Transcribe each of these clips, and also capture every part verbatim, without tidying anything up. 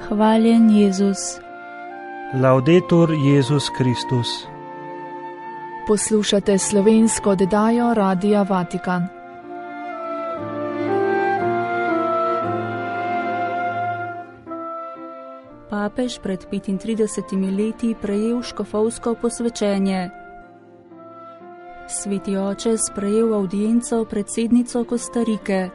Hvaljen Jezus. Laudetur Jezus Kristus. Poslušate slovensko oddajo Radia Vatikan. Papež pred petintridesetimi leti prejel škofovsko posvečenje. Sveti oče sprejel avdienco predsednico Kostarike.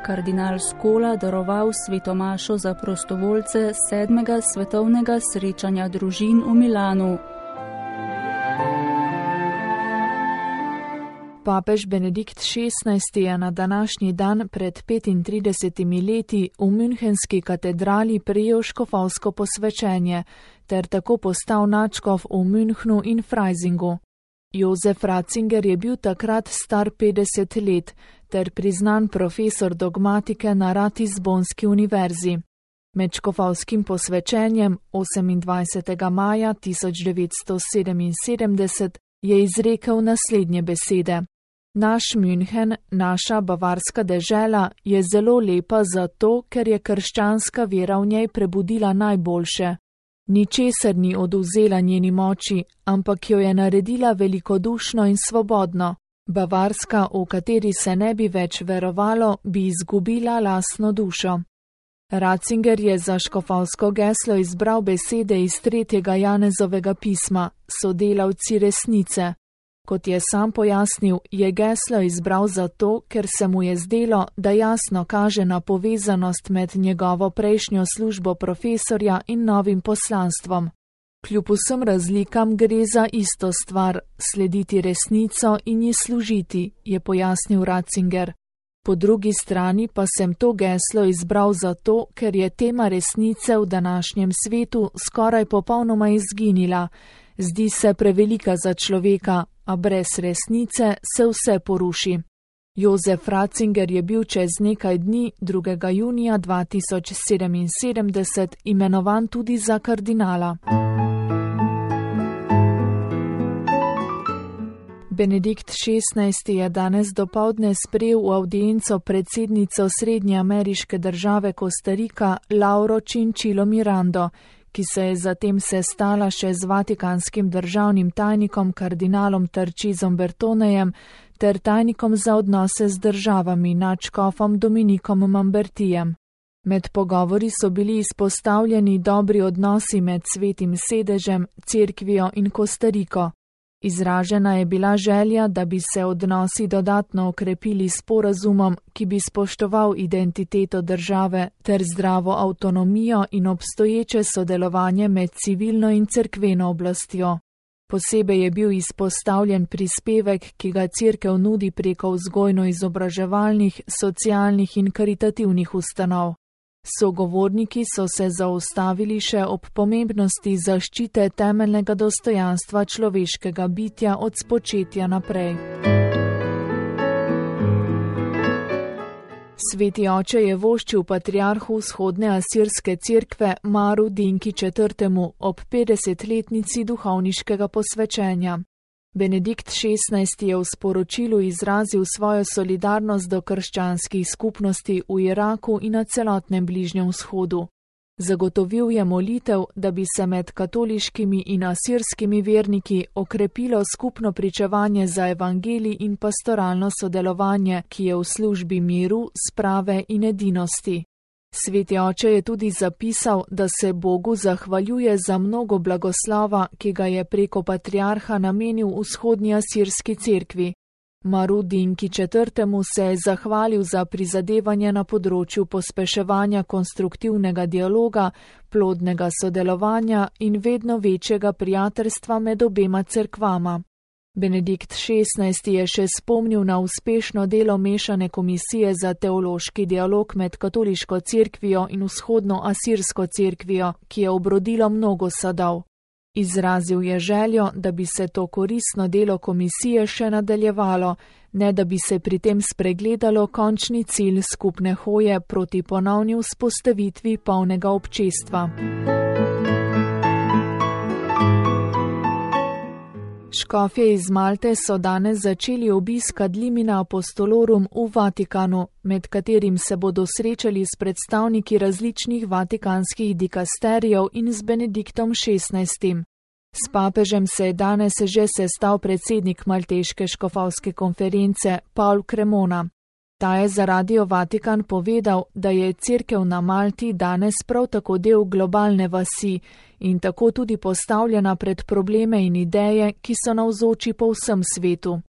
Kardinal Scola daroval svetomašo za prostovoljce sedmega svetovnega srečanja družin v Milanu. Papež Benedikt šestnajsti je na današnji dan pred petintridesetimi leti v Münchenski katedrali prejel škofovsko posvečenje ter tako postal nadškof v Münchnu in Freisingu. Jozef Ratzinger je bil takrat star petdeset let ter priznan profesor dogmatike na Ratisbonski univerzi. Med škofovskim posvečenjem osemindvajsetega maja tisoč devetsto sedeminsedemdeset je izrekel naslednje besede. Naš München, naša bavarska dežela, je zelo lepa zato, ker je krščanska vera v njej prebudila najboljše. Ničesar ni odvzela njeni moči, ampak jo je naredila velikodušno in svobodno. Bavarska, v kateri se ne bi več verovalo, bi izgubila lastno dušo. Ratzinger je za škofovsko geslo izbral besede iz tretjega Janezovega pisma, sodelavci resnice. Kot je sam pojasnil, je geslo izbral zato, ker se mu je zdelo, da jasno kaže na povezanost med njegovo prejšnjo službo profesorja in novim poslanstvom. Kljub vsem razlikam gre za isto stvar, slediti resnico in ji služiti, je pojasnil Ratzinger. Po drugi strani pa sem to geslo izbral zato, ker je tema resnice v današnjem svetu skoraj popolnoma izginila. Zdi se prevelika za človeka, a brez resnice se vse poruši. Jozef Ratzinger je bil čez nekaj dni, drugega junija dva tisoč sedeminsedemdeset, imenovan tudi za kardinala. Benedikt šestnajsti je danes dopoldne sprejel v avdienco predsednico srednje ameriške države Kostarika Lauro Chinchilo Mirando, ki se je zatem sestala še z vatikanskim državnim tajnikom kardinalom Tarcísem Bertonejem ter tajnikom za odnose z državami nadškofom Dominikom Mambertijem. Med pogovori so bili izpostavljeni dobri odnosi med Svetim sedežem, Cerkvijo in Kostariko. Izražena je bila želja, da bi se odnosi dodatno okrepili s sporazumom, ki bi spoštoval identiteto države ter zdravo avtonomijo in obstoječe sodelovanje med civilno in cerkveno oblastjo. Posebej je bil izpostavljen prispevek, ki ga cerkev nudi preko vzgojno-izobraževalnih, socialnih in karitativnih ustanov. Sogovorniki so se zaustavili še ob pomembnosti zaščite temeljnega dostojanstva človeškega bitja od spočetja naprej. Sveti oče je voščil patriarhu vzhodne asirske cerkve Maru Dinki četrtemu ob petdesetletnici duhovniškega posvečenja. Benedikt šestnajsti je v sporočilu izrazil svojo solidarnost do krščanskih skupnosti v Iraku in na celotnem Bližnjem vzhodu. Zagotovil je molitev, da bi se med katoliškimi in asirskimi verniki okrepilo skupno pričevanje za evangelij in pastoralno sodelovanje, ki je v službi miru, sprave in edinosti. Sveti oče je tudi zapisal, da se Bogu zahvaljuje za mnogo blagoslova, ki ga je preko patriarha namenil vzhodni asirski cerkvi. Maru Dinki četrtemu se je zahvalil za prizadevanje na področju pospeševanja konstruktivnega dialoga, plodnega sodelovanja in vedno večjega prijateljstva med obema cerkvama. Benedikt šestnajsti je še spomnil na uspešno delo mešane komisije za teološki dialog med katoliško cerkvijo in vzhodno asirsko cerkvijo, ki je obrodilo mnogo sadov. Izrazil je željo, da bi se to koristno delo komisije še nadaljevalo, ne da bi se pri tem spregledalo končni cilj skupne hoje proti ponovni vzpostavitvi polnega občestva. Škofje iz Malte so danes začeli obisk Ad limina apostolorum v Vatikanu, med katerim se bodo srečali s predstavniki različnih vatikanskih dikasterijev in z Benediktom šestnajstim. S papežem se je danes že sestal predsednik Malteške škofovske konference Paul Cremona. Ta je za Radio Vatikan povedal, da je cerkev na Malti danes prav tako del globalne vasi in tako tudi postavljena pred probleme in ideje, ki so navzoči po vsem svetu.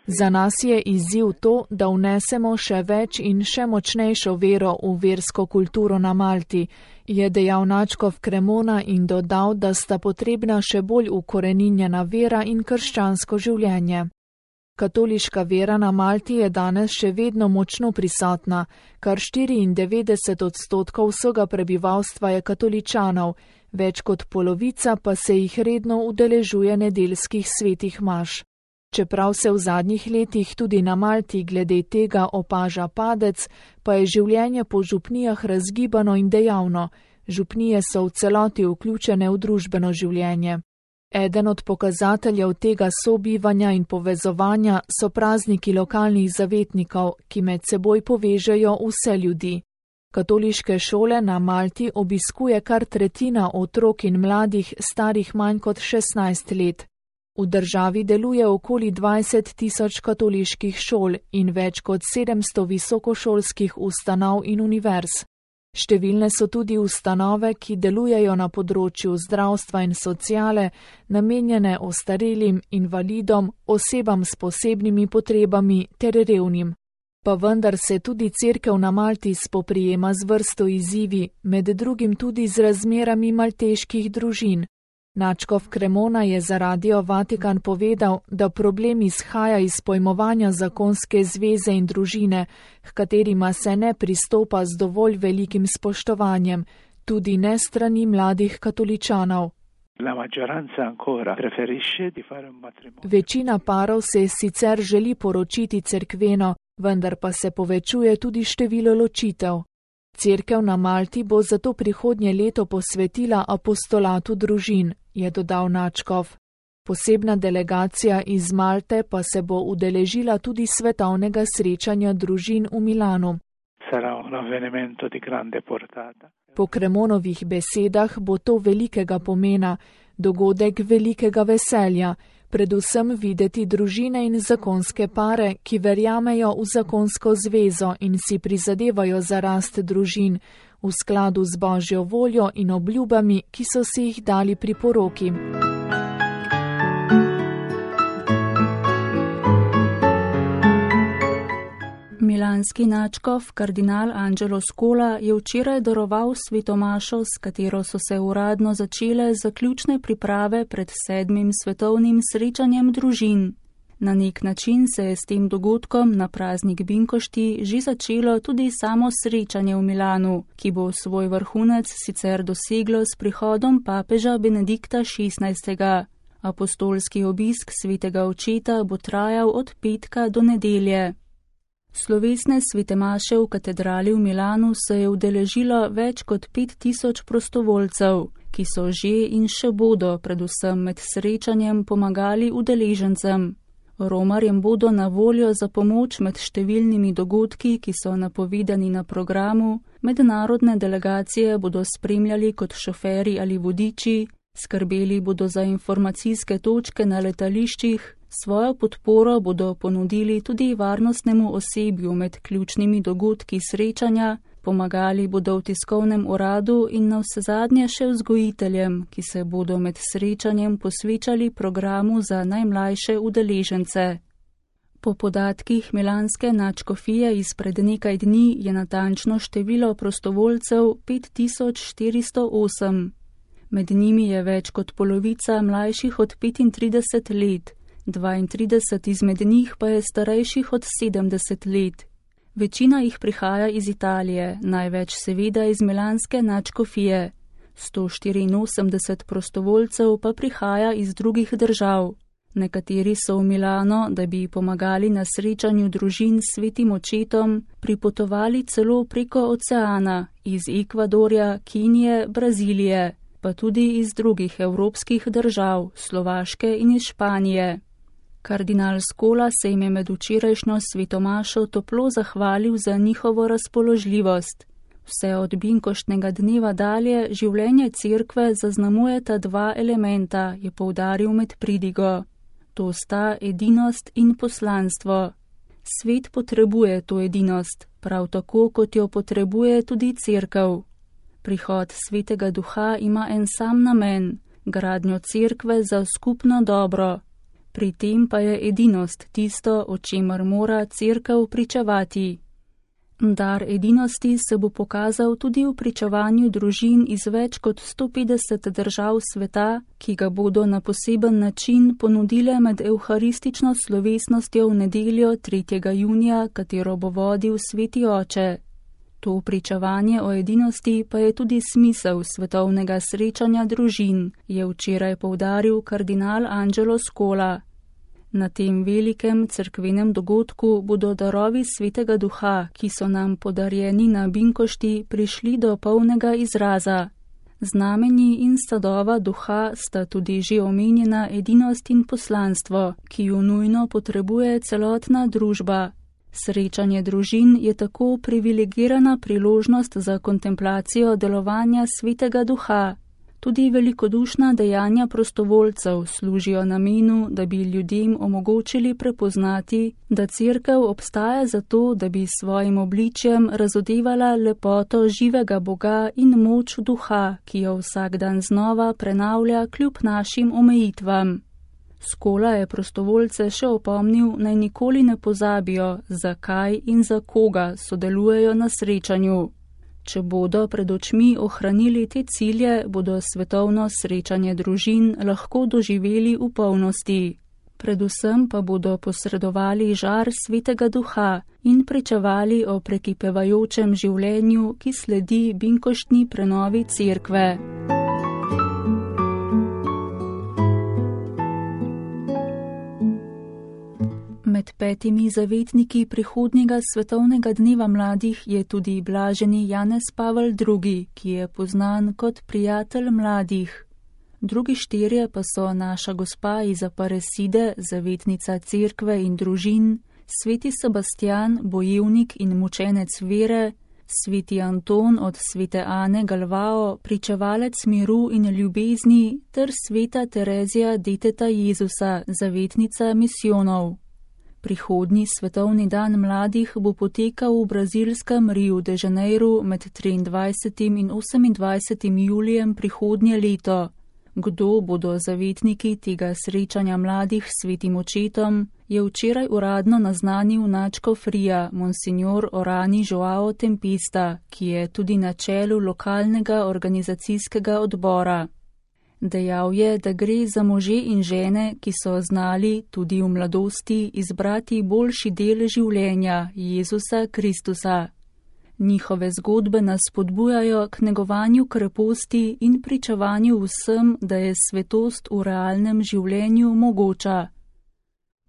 Za nas je izziv to, da vnesemo še več in še močnejšo vero v versko kulturo na Malti, je dejal nadškof Cremona in dodal, da sta potrebna še bolj ukoreninjena vera in krščansko življenje. Katoliška vera na Malti je danes še vedno močno prisotna, kar štiriindevetdeset odstotkov vsega prebivalstva je katoličanov, več kot polovica pa se jih redno udeležuje nedeljskih svetih maš. Čeprav se v zadnjih letih tudi na Malti glede tega opaža padec, pa je življenje po župnijah razgibano in dejavno. Župnije so v celoti vključene v družbeno življenje. Eden od pokazateljev tega sobivanja in povezovanja so prazniki lokalnih zavetnikov, ki med seboj povežejo vse ljudi. Katoliške šole na Malti obiskuje kar tretjina otrok in mladih starih manj kot šestnajst let. V državi deluje okoli dvajset tisoč katoliških šol in več kot sedemsto visokošolskih ustanov in univerz. Številne so tudi ustanove, ki delujejo na področju zdravstva in sociale, namenjene ostarelim, invalidom, osebam s posebnimi potrebami ter revnim. Pa vendar se tudi cerkev na Malti spoprijema z vrsto izzivi, med drugim tudi z razmerami malteških družin. Nadškof Cremona je za Radio Vatikan povedal, da problem izhaja iz pojmovanja zakonske zveze in družine, h katerima se ne pristopa z dovolj velikim spoštovanjem, tudi ne strani mladih katoličanov. Večina parov se sicer želi poročiti cerkveno, vendar pa se povečuje tudi število ločitev. Cerkev na Malti bo zato prihodnje leto posvetila apostolatu družin, je dodal nadškof. Posebna delegacija iz Malte pa se bo udeležila tudi svetovnega srečanja družin v Milanu. Po Cremonovih besedah bo to velikega pomena, dogodek velikega veselja, predvsem videti družine in zakonske pare, ki verjamejo v zakonsko zvezo in si prizadevajo za rast družin, v skladu z Božjo voljo in obljubami, ki so si jih dali pri poroki. Milanski nadškof kardinal Angelo Scola je včeraj daroval svetomašo, s katero so se uradno začele zaključne priprave pred sedmim svetovnim srečanjem družin. Na nek način se je s tem dogodkom na praznik Binkošti že začelo tudi samo srečanje v Milanu, ki bo svoj vrhunec sicer doseglo s prihodom papeža Benedikta šestnajstega. Apostolski obisk svetega očeta bo trajal od petka do nedelje. Slovesne svete maše v katedrali v Milanu se je udeležilo več kot pet tisoč prostovoljcev, ki so že in še bodo predvsem med srečanjem pomagali udeležencem. Romarjem bodo na voljo za pomoč med številnimi dogodki, ki so napovedani na programu, mednarodne delegacije bodo spremljali kot šoferi ali vodiči, skrbeli bodo za informacijske točke na letališčih, svojo podporo bodo ponudili tudi varnostnemu osebju med ključnimi dogodki srečanja, pomagali bodo v tiskovnem uradu in navsezadnje še vzgojiteljem, ki se bodo med srečanjem posvečali programu za najmlajše udeležence. Po podatkih milanske nadškofije izpred nekaj dni je natančno število prostovoljcev pet tisoč štiristo osem. Med njimi je več kot polovica mlajših od petintrideset let, dvaintrideset izmed njih pa je starejših od sedemdeset let. Večina jih prihaja iz Italije, največ seveda iz milanske nadškofije. sto štiriinosemdeset prostovoljcev pa prihaja iz drugih držav. Nekateri so v Milano, da bi pomagali na srečanju družin s svetim očetom, pripotovali celo preko oceana, iz Ekvadorja, Kenije, Brazilije. pa tudi iz drugih evropskih držav, Slovaške in iz Španije. Kardinal Scola se jim je med včerajšnjo svetomašo toplo zahvalil za njihovo razpoložljivost. Vse od binkoštnega dneva dalje življenje cerkve zaznamujeta dva elementa, je poudaril med pridigo. To sta edinost in poslanstvo. Svet potrebuje to edinost, prav tako kot jo potrebuje tudi cerkev. Prihod Svetega Duha ima en sam namen, gradnjo cerkve za skupno dobro. Pri tem pa je edinost tisto, o čemer mora cerkev pričevati. Dar edinosti se bo pokazal tudi v pričevanju družin iz več kot sto petdeset držav sveta, ki ga bodo na poseben način ponudile med evharistično slovesnostjo v nedeljo tretjega junija, katero bo vodil Sveti Oče. To pričevanje o edinosti pa je tudi smisel svetovnega srečanja družin, je včeraj poudaril kardinal Angelo Scola. Na tem velikem cerkvenem dogodku bodo darovi Svetega Duha, ki so nam podarjeni na binkošti, prišli do polnega izraza. Znamenji in sadova duha sta tudi že omenjena edinost in poslanstvo, ki ju nujno potrebuje celotna družba. Srečanje družin je tako privilegirana priložnost za kontemplacijo delovanja Svetega Duha. Tudi velikodušna dejanja prostovoljcev služijo namenu, da bi ljudem omogočili prepoznati, da cerkev obstaja zato, da bi s svojim obličjem razodevala lepoto živega Boga in moč duha, ki jo vsak dan znova prenavlja kljub našim omejitvam. Scola je prostovoljce še opomnil, naj nikoli ne pozabijo, zakaj in za koga sodelujejo na srečanju. Če bodo pred očmi ohranili te cilje, bodo svetovno srečanje družin lahko doživeli v polnosti. Predvsem pa bodo posredovali žar Svetega Duha in pričevali o prekipevajočem življenju, ki sledi binkoštni prenovi cerkve. Med petimi zavetniki prihodnjega svetovnega dneva mladih je tudi blaženi Janez Pavel drugi, ki je poznan kot prijatelj mladih. Drugi štirje pa so naša gospa iz Aparecide, zavetnica cerkve in družin, sveti Sebastian, bojevnik in mučenec vere, sveti Anton od svete Ane Galvao, pričevalec miru in ljubezni, ter sveta Terezija deteta Jezusa, zavetnica misijonov. Prihodnji svetovni dan mladih bo potekal v brazilskem Rio de Janeiro med triindvajsetim in osemindvajsetim julijem prihodnje leto. Kdo bodo zavetniki tega srečanja mladih s svetim očetom, je včeraj uradno naznanil nadškof Ria, monsignor Orani Joao Tempesta, ki je tudi na čelu lokalnega organizacijskega odbora. Dejal je, da gre za može in žene, ki so znali tudi v mladosti izbrati boljši del življenja, Jezusa Kristusa. Njihove zgodbe nas spodbujajo k negovanju kreposti in pričevanju vsem, da je svetost v realnem življenju mogoča.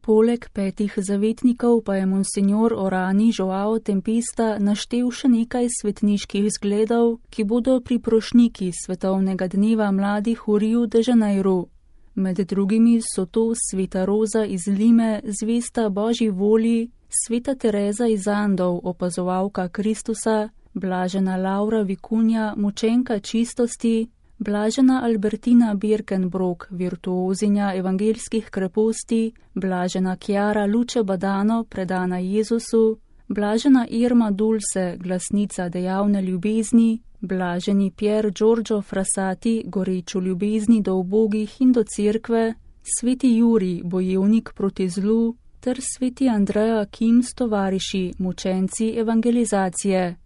Poleg petih zavetnikov pa je monsignor Orani Joao Tempesta naštel še nekaj svetniških zgledov, ki bodo priprošniki svetovnega dneva mladih v Riu de Janeiro. Med drugimi so to sveta Roza iz Lime, zvesta Božji volji, sveta Tereza iz Andov, opazovalka Kristusa, blažena Laura Vikunja, mučenka čistosti, blažena Albertina Birkenbrock, virtuozinja evangeljskih kreposti, blažena Chiara Luce Badano, predana Jezusu, blažena Irma Dulce, glasnica dejavne ljubezni, blaženi Pier Giorgio Frassati, goreč v ljubezni do ubogih in do cerkve, sveti Juri, bojevnik proti zlu, ter sveti Andreja Kim s tovariši, mučenci evangelizacije.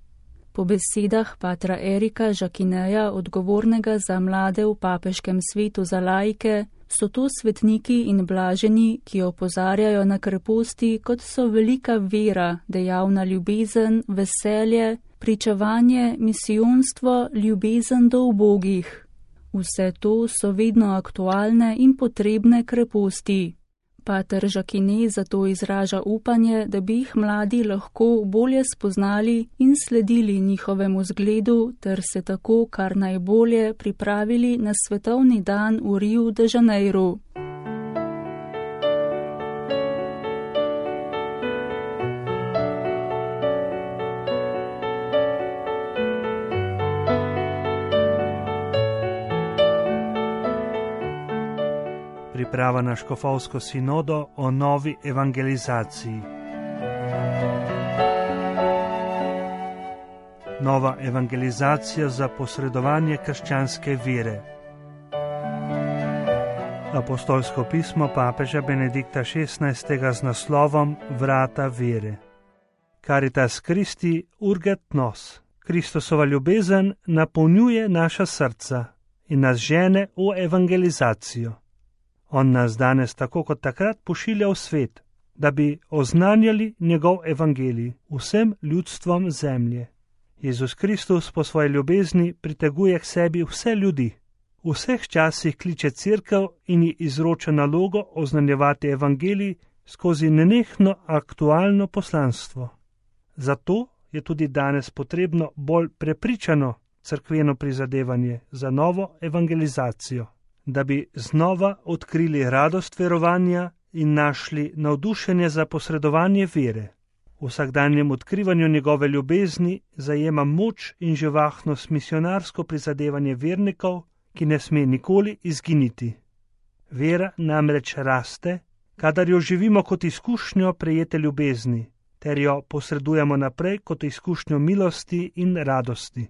Po besedah patra Erika Žakineja, odgovornega za mlade v papeškem svetu za laike, so to svetniki in blaženi, ki opozarjajo na kreposti, kot so velika vera, dejavna ljubezen, veselje, pričevanje, misijonstvo, ljubezen do ubogih. Vse to so vedno aktualne in potrebne kreposti. Pater Jacquinet zato izraža upanje, da bi jih mladi lahko bolje spoznali in sledili njihovemu zgledu, ter se tako kar najbolje pripravili na svetovni dan v Riu de Janeiru. Priprava na škofovsko sinodo o novi evangelizaciji. Nova evangelizacija za posredovanje krščanske vere. Apostolsko pismo papeža Benedikta šestnajstega z naslovom Vrata vere. Caritas Christi urget nos. Kristusova ljubezen napolnjuje naša srca in nas žene v evangelizacijo. On nas danes tako kot takrat pošilja v svet, da bi oznanjali njegov evangelij vsem ljudstvom zemlje. Jezus Kristus po svoji ljubezni priteguje k sebi vse ljudi. V vseh časih kliče cerkev in ji izroča nalogo oznanjevati evangelij skozi nenehno aktualno poslanstvo. Zato je tudi danes potrebno bolj prepričano cerkveno prizadevanje za novo evangelizacijo, da bi znova odkrili radost verovanja in našli navdušenje za posredovanje vere. V vsakdanjem odkrivanju njegove ljubezni zajema moč in živahnost misionarsko prizadevanje vernikov, ki ne sme nikoli izginiti. Vera namreč raste, kadar jo živimo kot izkušnjo prejete ljubezni, ter jo posredujemo naprej kot izkušnjo milosti in radosti.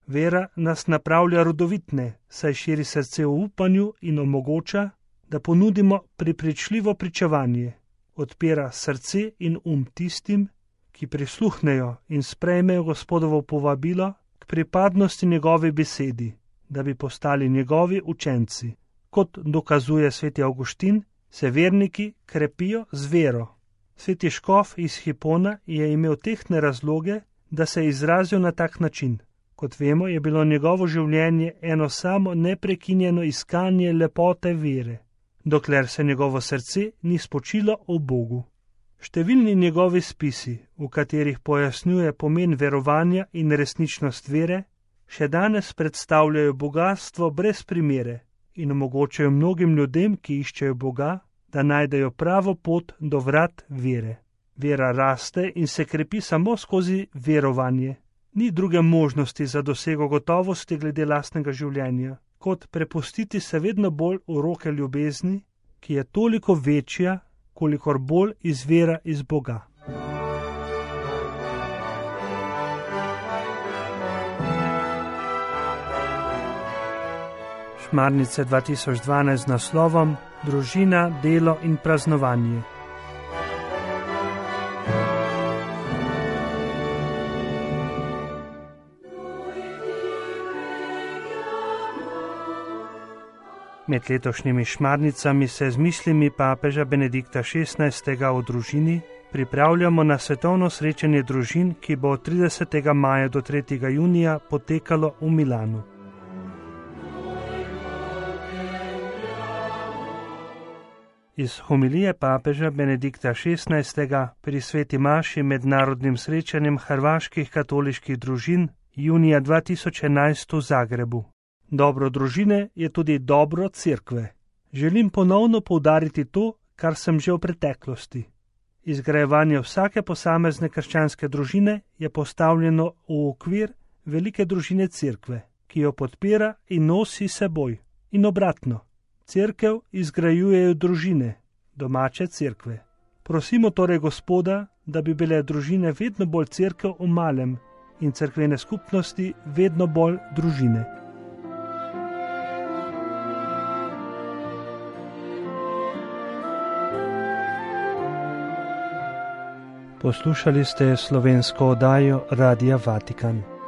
Vera nas napravlja rodovitne, saj širi srce v upanju in omogoča, da ponudimo prepričljivo pričevanje, odpira srce in um tistim, ki prisluhnejo in sprejmejo Gospodovo povabilo k pripadnosti njegovi besedi, da bi postali njegovi učenci. Kot dokazuje sveti Avguštin, se verniki krepijo z vero. Sveti škof iz Hipona je imel tehtne razloge, da se je izrazil na tak način. Kot vemo, je bilo njegovo življenje eno samo neprekinjeno iskanje lepote vere, dokler se njegovo srce ni spočilo v Bogu. Številni njegovi spisi, v katerih pojasnjuje pomen verovanja in resničnost vere, še danes predstavljajo bogatstvo brez primere in omogočajo mnogim ljudem, ki iščejo Boga, da najdejo pravo pot do vrat vere. Vera raste in se krepi samo skozi verovanje. Ni druge možnosti za dosego gotovosti glede lastnega življenja, kot prepustiti se vedno bolj v roke ljubezni, ki je toliko večja, kolikor bolj izvira iz Boga. Šmarnice dva tisoč dvanajst z naslovom Družina, delo in praznovanje. Med letošnjimi šmarnicami se z mislimi papeža Benedikta šestnajstega o družini pripravljamo na svetovno srečanje družin, ki bo od tridesetega maja do tretjega junija potekalo v Milanu. Iz homilije papeža Benedikta šestnajstega pri sveti maši med narodnim srečanjem hrvaških katoliških družin junija dva tisoč enajst v Zagrebu. Dobro družine je tudi dobro cerkve. Želim ponovno poudariti to, kar sem že v preteklosti. Izgrajevanje vsake posamezne krščanske družine je postavljeno v okvir velike družine cerkve, ki jo podpira in nosi seboj. In obratno, cerkev izgrajujejo družine, domače cerkve. Prosimo torej Gospoda, da bi bile družine vedno bolj cerkev v malem in cerkvene skupnosti vedno bolj družine. Poslušali ste slovensko oddajo Radia Vatikan.